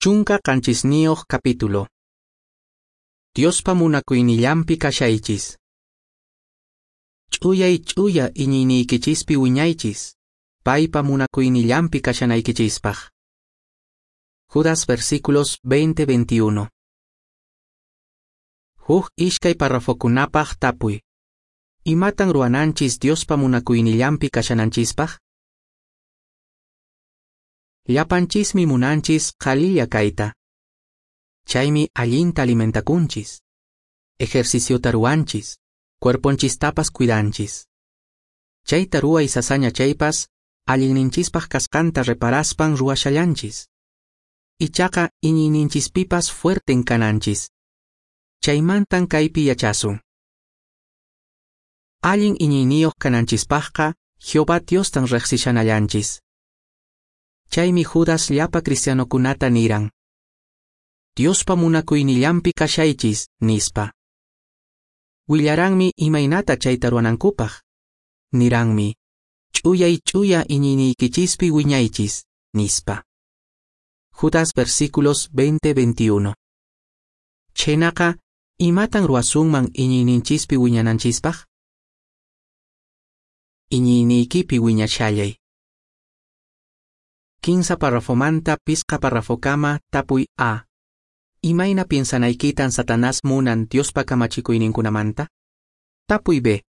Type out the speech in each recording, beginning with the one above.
17 capítulo. Diospa munakuynillanpi kashaychis. Ch'uyay ch'uya iñiyniykichispi wiñaychis, paypa munakuynillanpi kashanaykichispaq. Judas versículos 20-21. Huk ishkay parrafokunapaq tapuy. Imatan ruwananchis Diospa munakuynillanpi kashananchispaq? Llapanchismi munanchis qhalilla kayta. Chaymi allinta alimentakunchis. Ejerciciota ruwanchis, cuerponchistapas cuidanchis. Chayta ruway sasaña chaypas, allinninchispaq kasqanta reparaspan ruwashallanchis. Ichaqa iñiyninchispipas fuerten kananchis. Chaymantan kaypi yachasun. Allin iñiyniyuq kananchispaqqa Jehová Diostan riqsishanallanchis. Chaymi Judas llapa cristianokunata niran: Diospa munakuynillanpi kashaychis, nispa. Willaranmi imaynata chayta ruwanankupaq. Niranmi: Ch'uyay ch'uya iñiyniykichispi wiñaychis, nispa. Judas versículos 20-21. Chhaynaqa, imatan ruwasunman iñiyninchispi wiñananchispaq? Iñiyniykipi wiñashallay. 15 parrafomanta 5 parrafokama tapuy A. Imayna piensanaykitan Satanás munan Diospa kamachikuyninkunamanta? Tapuy B.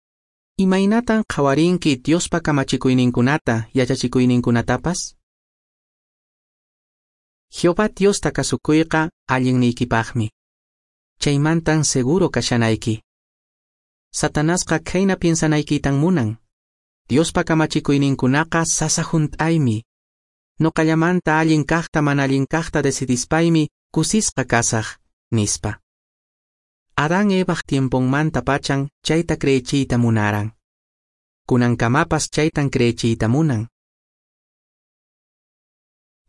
Imaynatan qhawarinki Diospa kamachikuyninkunata yachachikuyninkunatapas? Jehová Diosta kasukuyqa allinniykipaqmi. Chaymantan seguro kashanayki. Satanasqa khayna piensanaykitan munan. Diospa kamachikuyninkunaqa sasa hunt'aymi. Noqallamanta allin kaqta mana allin kaqta decidispaymi kusisqa kasaq, nispa. Adán Evaq tiemponmanta pachan chayta creechiyta munaran. Kunankamapas chaytan creechiyta munan.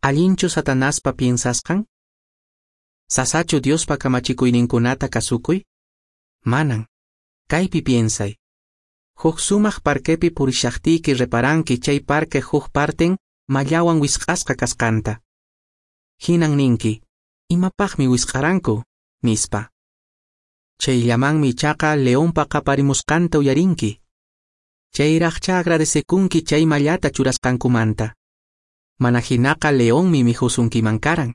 Allinchu Satanaspa piensasqan? Sasachu Diospa kamachikuyninkunata kasukuy? Manan. Kaypi piensay. Huk sumaq parquepi purishaqtiyki reparanki chay parque huk parten mallawan wisq'asqa kasqanta. Hinan ninki, imapaqmi wisq'aranku, nispa. Chayllamanmi ichaqa leonpa qaparimusqanta uyarinki. Chayraqcha agradecekunki chay mallata churasqankumanta. Mana hinaqa leonmi mikhusunkiman karan.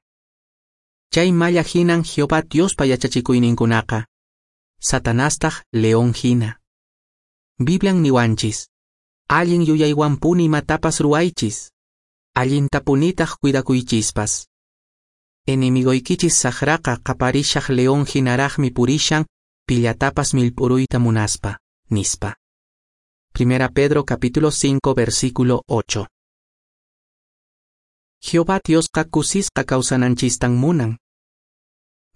Chay malla hinan Jehová Diospa yachachikuyninkunaqa. Satanastaq león hina. Biblian niwanchis: allin yuyaywanpuni imatapas ruwaychis. Allintapunitaq cuidakuychispas. Enemigoykichis saqraqa qaparishaq león hinaraqmi purishan pillatapas millp'uruyta munaspa, nispa. 1 Pedro capítulo 5 versículo 8. Jehová Diosqa kusisqa kawsananchistan munan.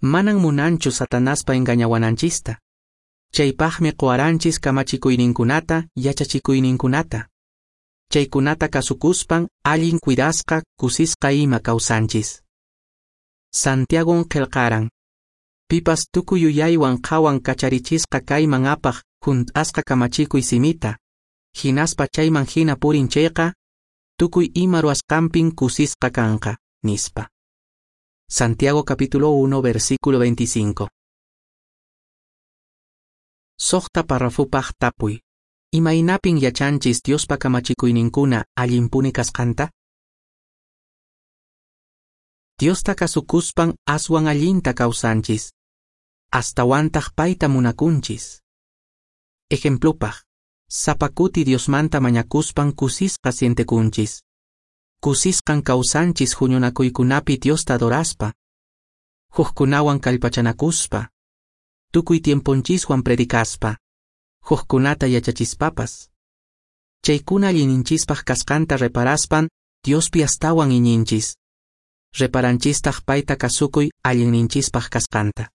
Manan munanchu Satanaspa engañawananchista. Chaypaqmi quwaranchis kamachikuyninkunata yachachikuyninkunata. Chaykunata kasukuspan allin cuidasqa kusisqa ima kawsanchis. Santiagon qillqaran: Pipas tukuy yuyaywan qhawan kacharichisqa kayman apaq hunt'asqa kamachikuy simita, hinaspa chayman hina purin chayqa, tukuy ima ruwasqanpin kusisqa kanqa, nispa. Santiago capítulo 1 versículo 25. 6 parrafopaq tapuy. Imaynapin yachanchis Diospa kamachikuyninkuna allinpuni kasqanta? Diosta kasukuspan aswan allinta kawsanchis. Astawantaq payta munakunchis. Ejemplopaq, sapa kuti Diosmanta mañakuspan kusisqa sientekunchis. Kusisqan kawsanchis huñunakuykunapi Diosta adoraspa. Hukkunawan kallpachanakuspa. Tukuy tiemponchiswan predicaspa. Hukkunata yachachispapas. Chaykuna allinninchispaq kasqanta reparaspan Diospi astawan iñinchis. Reparanchistaq payta kasukuy allinninchispaq kasqanta.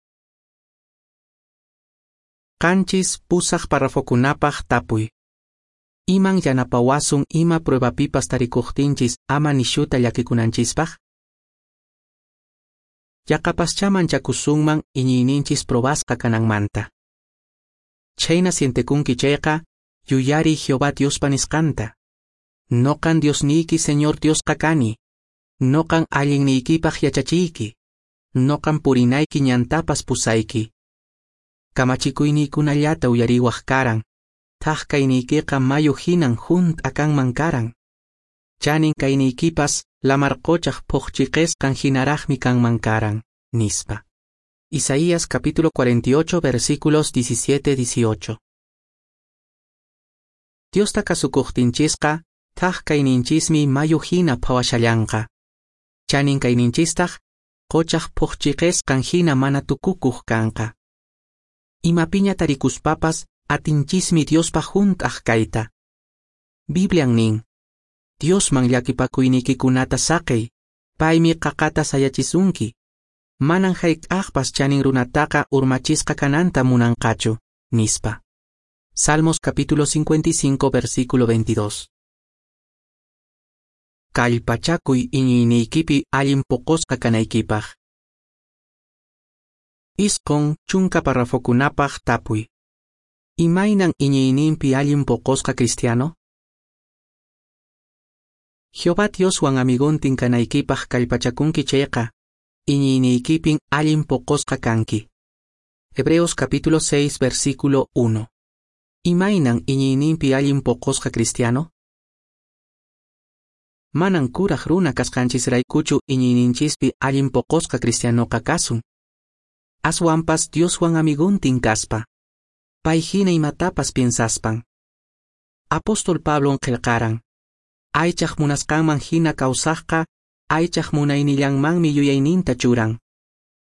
7 8 parrafokunapaq tapuy. Iman yanapawasun ima pruebapipas tarikuqtinchis ama nishuta llakikunanchispaq? Yaqapaschá manchakusunman iñiyninchis probasqa kananmanta. Chhayna sientekunki chayqa, yuyariy Jehová Diospa nisqanta. Noqan Diosniyki Señor Diosqa kani. Noqan allinniykipaq yachachiyki. Noqan purinayki ñantapas pusayki. Kamachikuyniykunallata uyariwaq karan, thak kayniykiqa mayu hinan hunt'a kanman karan. Chanin kayniykipas lamar qochaq phuqchiqesqan hinaraqmi kanman karan, nispa. Isaías capítulo 48 versículos 17-18. Diosta kasukuqtinchisqa, thak kayninchismi mayu hina phawashallanqa. Chanin kayninchistaq, qochaq phuqchiqesqan hina mana tukukuq kanqa. Imapiña tarikuspapas atinchismi Diospaq hunt'aq kayta. Biblian nin, Diosman llakipakuynikikunata saqey, paymi qaqata sayachisunki. Manan hayk'aqpas chanin runataqa urmachisqa kananta munanqachu, nispa. Salmos capítulo 55 versículo 22. Kallpachakuy iñiyniykipi allin poqosqa kanaykipaq. 90 parrafokunapaq tapuy. Imaynan iñiyninpi allin poqosqa cristiano? Jehová Dioswan amigontin kanaykipaq kallpachakunki chayqa, iñiyniykipin allin poqosqa kanki. Hebreos capítulo 6 versículo 1. Imaynan iñiyninpi allin poqosqa cristiano? Manan kuraq runa kasqanchisraykuchu iñiyninchispi allin poqosqa cristianoqa kasun. Aswanpas Dioswan amigontin kaspa. Pay hina imatapas piensaspan. Apóstol Pablon qillqaran. Aychaq munasqanman hina kawsaqqa, aychaq munaynillanmanmi yuyayninta churan.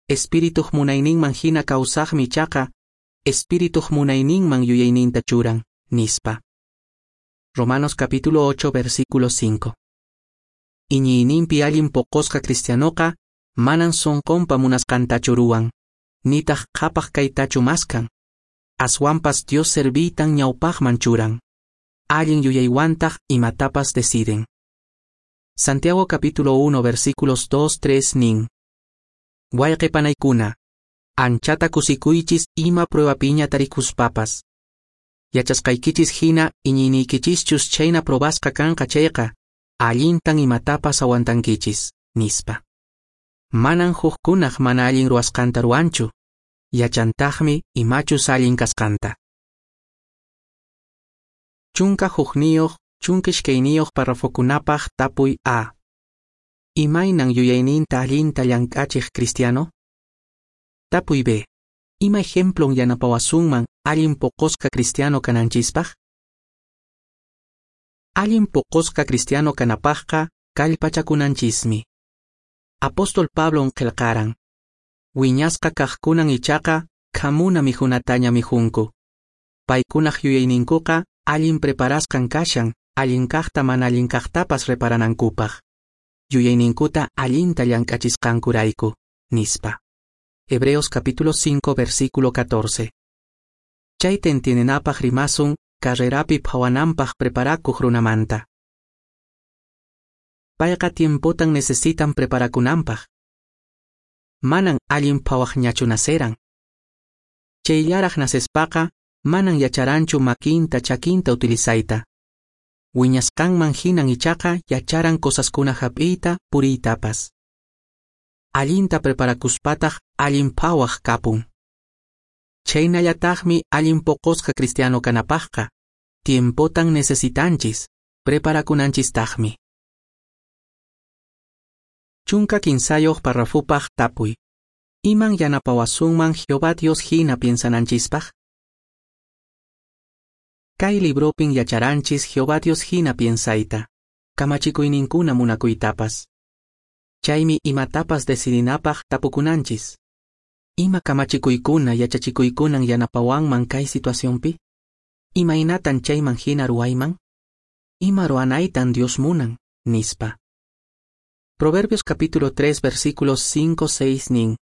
Espirituq munayninman hina kawsaqmi ichaqa, espirituq munayninman yuyayninta churan, nispa. Romanos capítulo 8 versículo 5. Iñiyninpi allin poqosqa cristianoqa, manan sonqonpa munasqantachu ruwan, nitaq qhapaq kaytachu maskan. Aswanpas Dios serviytan ñawpaqman churan. Allin yuyaywantaq imatapas deciden. Santiago capítulo 1 versículos 2, 3 nin. Wayqe panaykuna, anchata kusikuychis ima pruebapiña tarikuspapas. Yachasqaykichis hina iñiyniykichischus chayna probasqa kanqa chayqa, allintan imatapas aguantankichis, nispa. Manan hukkunaq mana allin ruwasqanta ruwanchu, yachantaqmi imachus allin kasqanta. 11 12 parrafokunapaq tapuy A. Imaynan yuyayninta allinta llank'achiq cristiano? Tapuy B. Ima ejemplon yanapawasunman allin poqosqa cristiano kananchispaq? Allin poqosqa cristiano kanapaqqa kallpachakunanchismi. Apóstol Pablon qillqaran. Wiñasqa kaqkunan ichaqa khamuna mikhunataña mikhunku. Paykunaq yuyayninkuqa allin preparasqan kashan, allin kaqta mana allin kaqtapas reparanankupaq. Yuyayninkuta allinta llank'achisqankurayku, nispa. Hebreos capítulo 5 versículo 14. Chayta entiendenapaq rimasun carrerapi phawananpaq preparakuq runamanta. Payqa tiempotan necesitan preparakunanpaq. Manan allin phawaqñachu naceran. Chayllaraq nacespaqa manan yacharanchu makinta chakinta utilizayta. Wiñasqanman hinan ichaqa yacharan cosaskuna hap'iyta puriytapas. Allinta preparakuspataq allin phawaq kapun. Chaynallataqmi allin poqosqa cristiano kanapaqqa, tiempotan necesitanchis, preparakunanchistaqmi. 13 parrafupaq tapuy. Iman yanapawasunman Jehová Dios hina piensananchispaq? Kay libropin yacharanchis Jehová Dios hina piensayta, kamachikuyninkuna munakuytapas. Chaymi imatapas decidinapaq tapukunanchis. Ima kamachikuykuna yachachikuykunan yanapawanman kay situacionpi? Imaynatan chayman hina ruwayman? Ima ruwanaytan Dios munan, nispa. Proverbios capítulo 3 versículos 5, 6 nin.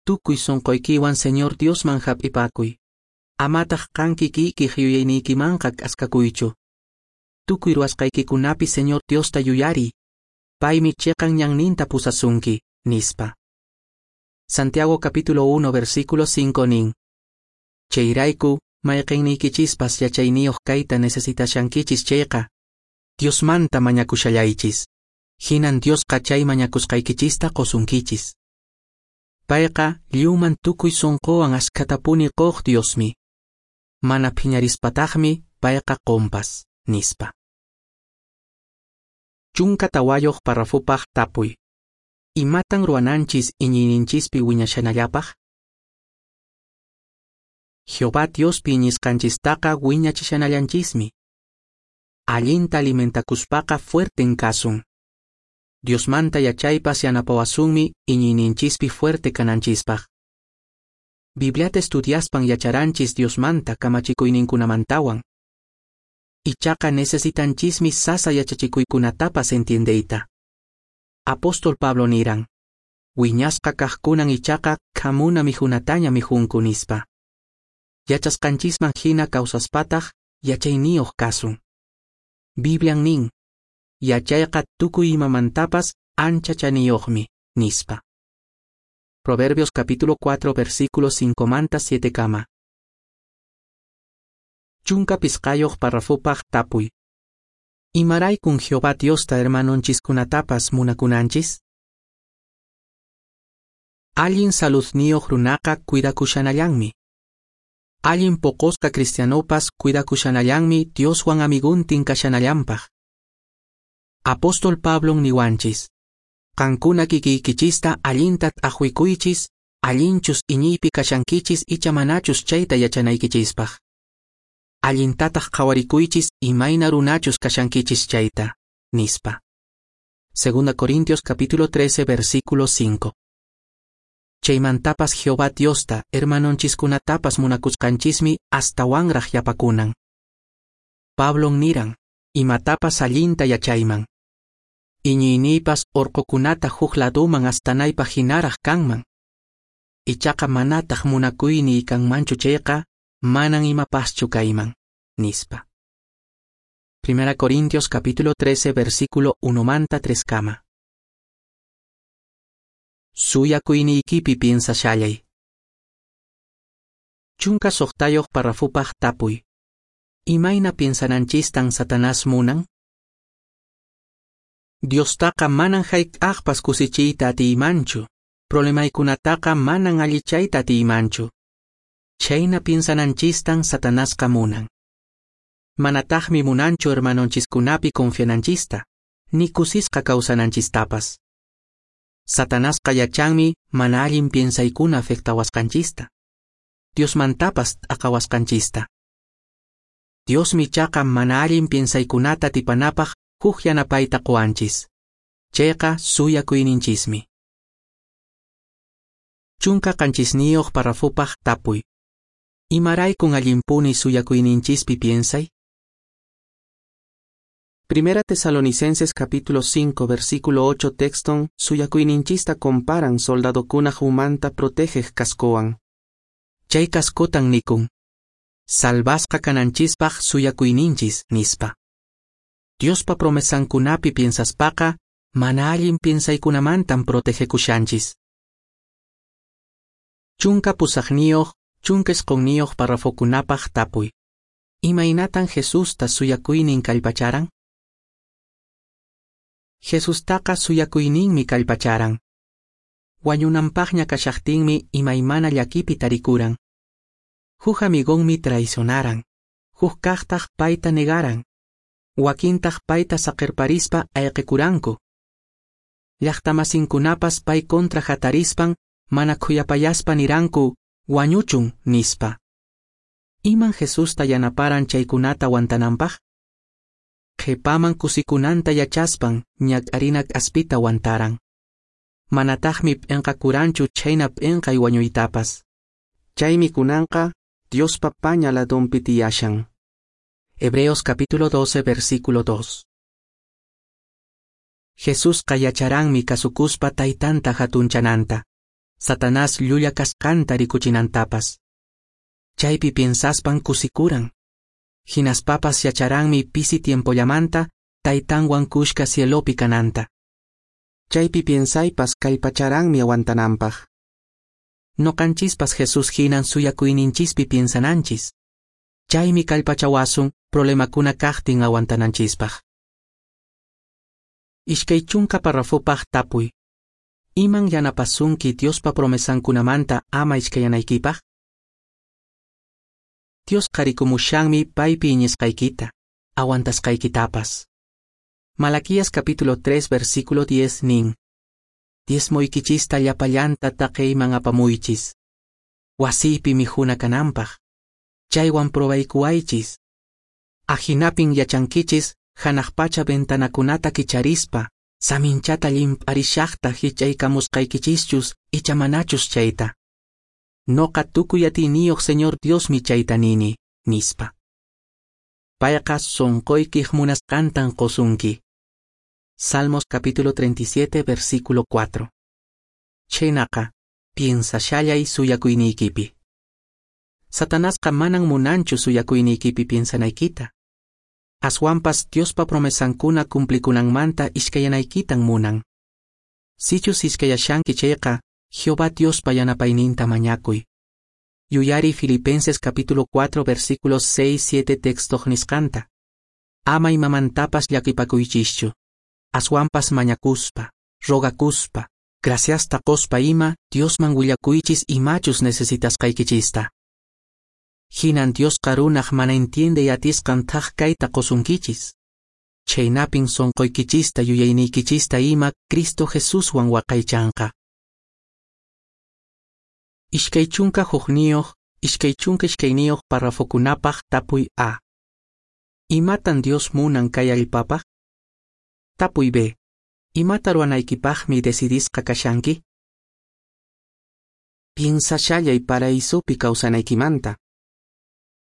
Tukuy sonqoykiwan Señor Diosman hap'ipakuy. Amataq qan kikiykiq yuyayniykimanqa k'askakuychu. Tukuy ruwasqaykikunapi Señor Diosta yuyariy. Paymi chiqan ñanninta pusasunki, nispa. Santiago capítulo 1 versículo 5 nin. Chayrayku mayqinniykichispas yachayniyuq kayta necesitashankichis chayqa, Diosmanta mañakushallaychis. Hinan Diosqa chay mañakusqaykichista qusunkichis. Payqa lliwman tukuy sonqowan askhatapuni qoq Diosmi. Mana phiñarispataqmi payqa qonpas, nispa. 14 parrafopaq tapuy. Imatan ruwananchis iñiyninchispi wiñashanallapaq? Jehová Diospi iñisqanchistaqa wiñachishanallanchismi. Allinta alimentakuspaqa fuerten kasun. Diosmanta yachaypas yanapawasunmi iñiyninchispi fuerte kananchispaq. Bibliata estudiaspan yacharanchis Diosmanta kamachikuyninkunamantawan. Ichaqa necesitanchismi sasa yachachikuykunatapas entiendeyta. Apóstol Pablo niran, wiñasqa kaqkunan ichaqa khamuna mijunataña mijunku nispa. Yachasqanchisman hina kawsaspataq yachayniyuq kasun. Biblian nin, yachayqa tukuy imamantapas ancha chaniyuqmi, nispa. Proverbios capítulo 4 versículo 5 7 kama. 15 parrafopaq tapuy. Imaraykun Jehová Diosta hermanonchiskunatapas munakunanchis? Allin saludniyuq runaqa cuidakushanallanmi. Allin poqosqa cristianopas cuidakushanallanmi Dioswan amiguntin kashanallanpaq. Apóstol Pablon niwanchis, qankuna kikiykichista allinta t'aqwikuychis, allinchus iñiypi kashankichis icha manachus chayta yachanaykichispaq. Allintataq qhawarikuychis imayna runachus kashankichis chayta, nispa. 2 Corintios capítulo 13 versículo 5. Chaymantapas Jehová Diosta hermanonchiskunatapas munakusqanchismi astawanraq yapakunan. Pablon niran, imatapas allinta yachayman. Iñiyniypas orqokunata huk laduman astanaypaq hinaraq kanman. Ichaqa manataq munakuyniy kanmanchu chayqa, manan imapaschu kayman, nispa. 1 Corintios capítulo 13 versículo 1 3 kama. Suyakuyniykipi piensashallay. 16 parrafopaq tapuy. Imayna piensananchistan Satanás munan? Diostaqa manan hayk'aqpas kusichiyta atiymanchu, problemaykunataqa manan allichayta atiymanchu. Chayna piensananchistan Satanasqa munan. Manataqmi munanchu hermanonchiskunapi confiananchista, ni kusisqa kawsananchistapas. Satanasqa yachanmi mana allin piensaykuna afectawasqanchista. Diosmantapas t'aqawasqanchista. Diosmi ichaqa mana allin piensaykunata atipanapaq huk yanapayta quwanchis. Chayqa suyakuyninchismi. 17 parrafopaq tapuy. Imaraykun allinpuni suyakuyninchispi piensay? 1 Tesalonicenses capítulo 5 versículo 8 texton suyakuyninchista comparan soldadokunaq umanta protegeq cascowan. Chay cascotan nikun. Salvasqa kananchispaq suyakuyninchis, nispa. Diospa promesankunapi piensaspaqa, mana allin piensaykunamantan protegekushanchis. 18 19 parrafokunapaq tapuy. Imaynatan Jesusta suyakuynin kallpacharan? Jesustaqa suyakuyninmi kallpacharan. Wañunanpaqña kashaqtinmi imaymana llakipi tarikuran. Huk amigonmi traicionaran, huk kaqtaq payta negaran, wakintaq payta saqirparispa ayqikuranku. Llaqtamasinkunapas pay kontra hatarispan mana khuyapayaspa niranku wañuchun nispa. Iman Jesusta yanaparan chaykunata aguantananpaq? Qhipaman kusikunanta yachaspan ñak'arina k'aspita aguantaran. Manataqmi p'inqakuranchu chhayna p'inqay wañuytapas. Chaymi kunanqa Diospa paña ladunpi tiyashan. Hebreos capítulo 12 versículo 2. Jesusqa yacharanmi kasukuspa taytanta hatunchananta, Satanás llulla kasqanta rikuchinantapas. Chaypi piensaspan kusikuran. Hinaspapas yacharanmi pisi tiempollamanta taytanwan kushka cielopi kananta. Chaypi piensaypas kallpacharanmi aguantananpaq. Noqanchispas Jesús hinan suyakuyninchispi piensananchis. Chaymi kallpachawasun problemakuna kaqtin aguantananchispaq. 20 parrafopaq tapuy. Iman yanapasunki Diospa promesankunamanta ama iskayanaykipaq? Diosqa rikumushanmi paypi iñisqaykita, aguantasqaykitapas. Malaquías capítulo 3 versículo 10 nin: Diezmoykichista llapallanta taqeyman apamuychis. Wasiypi mikhuna kananpaq. Chaywan probaykuwaychis. Ahinapin yachankichis hanaq pacha ventanakunata kicharispa, saminchata llimp'arishaqta hich'aykamusqaykichischus icha manachus chayta. Noqa tukuy atiyniyuq Señor Diosmi chayta nini, nispa. Payqa sonqoykiq munasqantan qosunki. Salmos capítulo 37 versículo 4. Chhaynaqa, piensashallay suyakuyniykipi. Satanasqa manan munanchu suyakuyniykipi piensanaykita. Aswanpas Diospa promesankuna cumplikunanmanta iskayanaykitan munan. Sichus iskayashanki chayqa, Jehová Diospa yanapayninta mañakuy. Yuyari Filipenses capítulo 4 versículos 6 7 textoq nisqanta. Ama imamantapas llakipakuychischu. Aswanpas mañakuspa, rogakuspa, graciasta qospa ima Diosman willakuychis imachus necesitasqaykichista. Hinan Diosqa runaq mana entiendey atisqan thak kayta qosunkichis. Chhaynapin sonqoykichista yuyayniykichista ima Cristo Jesuswan waqaychanqa. 21, 22 parrafokunapaq tapuy A. Imatan Dios munan kay allpapaq? Tapuy B. Imata ruwanaykipaqmi decidisqa kashanki? Piensashallay paraísopi kawsanaykimanta.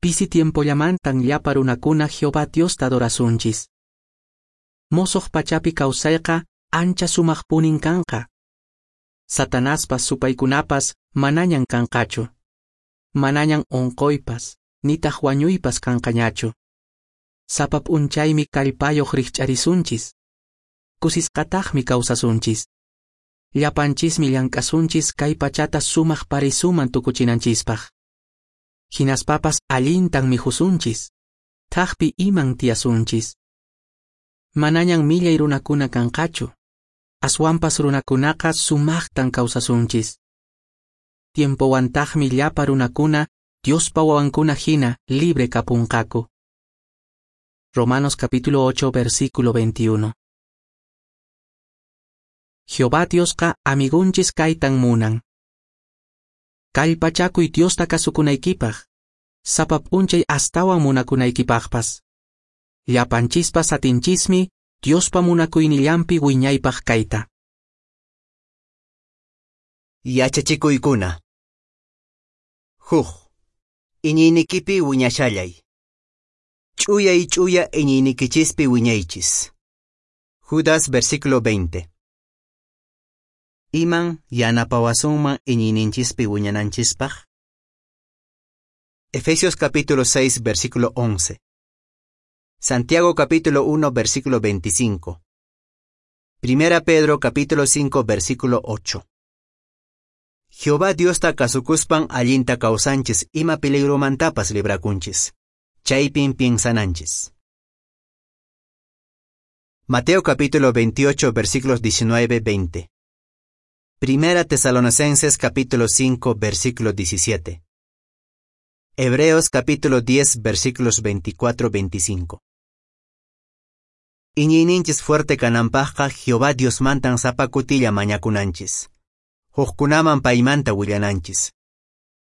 Pisi tiempollamantan llapa runakuna Jehová Diosta adorasunchis. Mosoq pachapi kawsayqa ancha sumaqpunin kanqa. Satanaspas supaykunapas manañan kanqachu. Manañan onqoypas, nitaq wañuypas kanqañachu. Sapa p'unchaymi kallpayuq rikch'arisunchis. Kusisqataqmi kawsasunchis. Llapanchismi llank'asunchis kay pachata sumaq paraisuman tukuchinanchispaq. Hinaspapas allintan mikhusunchis. Thakpi iman tiyasunchis. Manañan millay runakuna kanqachu. Aswanpas runakunaqa sumaqtan kawsasunchis. Tiempowantaqmi llapa runakuna Diospa wawankuna hina libre kapunqaku. Romanos capítulo 8 versículo 21. Jehová Diosqa amigunchis kaytan munan. Kallpachakuy Diosta kasukunaykipaq, sapa p'unchay astawan munakunaykipaqpas. Llapanchispas atinchismi Diospa munakuynillanpi wiñaypaq kayta. Yachachikuykuna. Huk. Iñiynikipi wiñashallay. Ch'uyay ch'uya iñiynikichispi wiñaychis. Judas versículo 20. Iman yanapawasunman iñiyninchispi wiñananchispaq? Efesios capítulo 6 versículo 11. Santiago capítulo 1 versículo 25. Primera Pedro capítulo 5 versículo 8. Jehová Diosta kasukuspan allinta kawsanchis ima peligromantapas librakunchis. Chaypin piensananchis. Mateo capítulo 28 versículos 19-20. Primera Tesalonicenses capítulo 5 versículo 17. Hebreos capítulo 10 versículos 24-25. Iñiyninchis fuerte kananpaqqa Jehová Diosmantan sapa kutilla mañakunanchis. Hukkunaman paymanta willananchis.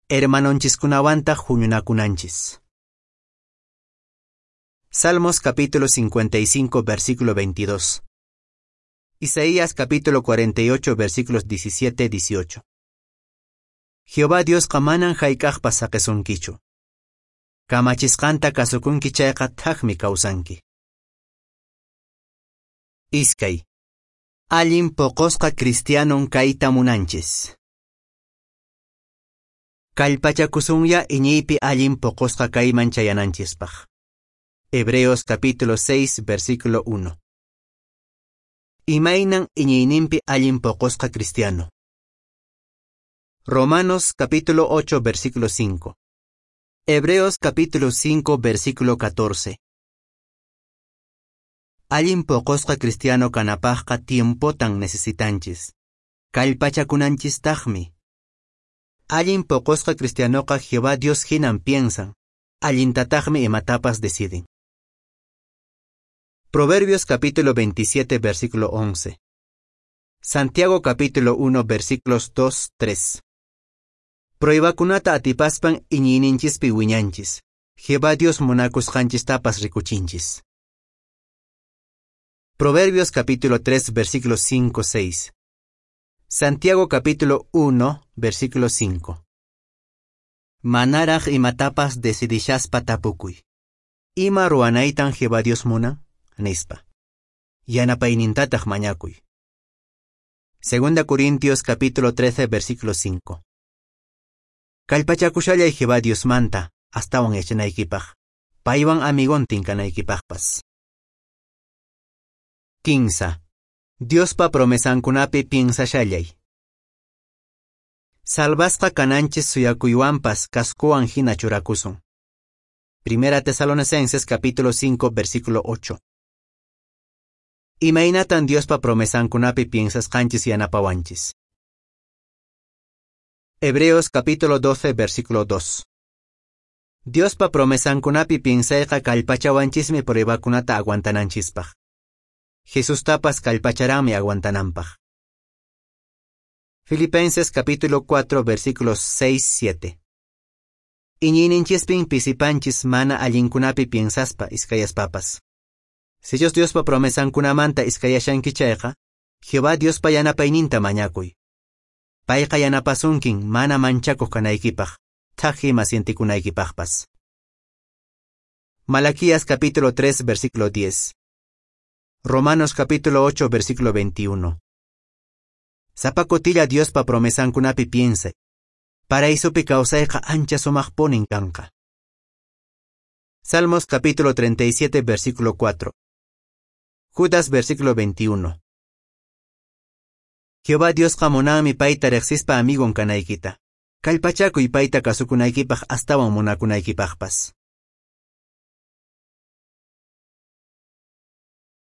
Hermanonchiskunawantaq huñunakunanchis. Salmos capítulo 55 versículo 22. Isaías capítulo 48 versículos 17-18. Jehová Diosqa manan hayk'aqpas saqesunkichu. Kamachisqanta kasukunki chayqa thakmi kawsanki. Iskay. Allin poqosqa cristianon kayta munanchis. Kallpachakusunya iñiypi allin poqosqa kayman chayananchispaq. Hebreos capítulo 6 versículo 1. Imaynan iñiyninpi allin poqosqa cristiano. Romanos capítulo 8 versículo 5. Hebreos capítulo 5 versículo 14. Allin poqosqa cristiano kanapaqqa tiempotan necesitanchis. Kallpachakunanchistaqmi. Allin poqosqa cristianoqa Jehová Dios hinan piensan, allintataqmi imatapas deciden. Proverbios capítulo 27 versículo 11. Santiago capítulo 1 versículos 2, 3. Pruebakunata atipaspan iñiyninchispi wiñanchis. Jehová Dios munakusqanchistapas rikuchinchis. Proverbios capítulo 3 versículos 5, 6. Santiago capítulo 1 versículo 5. Manaraq imatapas decidishaspa tapukuy. Ima ruwanaytan Jehová Dios munan? Nispa. Yanapaynintataq mañakuy. Segunda Corintios capítulo 13 versículo 5. Kallpachakushallay Jehová Diosmanta astawan yachanaykipaq. Paywan amigontin kanaykipaqpas. 15. Diospa promesankunapi piensashallay. Salvasqa kananchis suyakuywanpas cascowan hina churakusun. Primera Tesalonicenses capítulo 5 versículo 8. Imaynatan Diospa promesankunapi piensasqanchis yanapawanchis. Hebreos capítulo 12 versículo 2. Diospa promesankunapi piensayqa kallpachawanchismi pruebakunata aguantananchispaq. Jesustapas kallpacharanmi aguantananpaq. Filipenses capítulo 4 versículos 6, 7. Iñiyninchispin pisipanchis mana allinkunapi piensaspa iskayaspapas. Sichus Diospa promesankunamanta iskayashanki chayqa, Jehová Diospa yanapayninta mañakuy. Payqa yanapasunkin mana manchakuq kanaykipaq, thak ima sientikunaykipaqpas. Malaquías capítulo 3 versículo 10. Romanos capítulo 8 versículo 21. Sapa kutilla Diospa promesankunapi piensay. Paraísopi kawsayqa ancha sumaqpunin kanqa. Salmos capítulo 37 versículo 4. Judas versículo 21. Jehová Diosqa munanmi payta riqsispa amigon kanaykita. Kallpachakuy payta kasukunaykipaq astawan munakunaykipaqpas.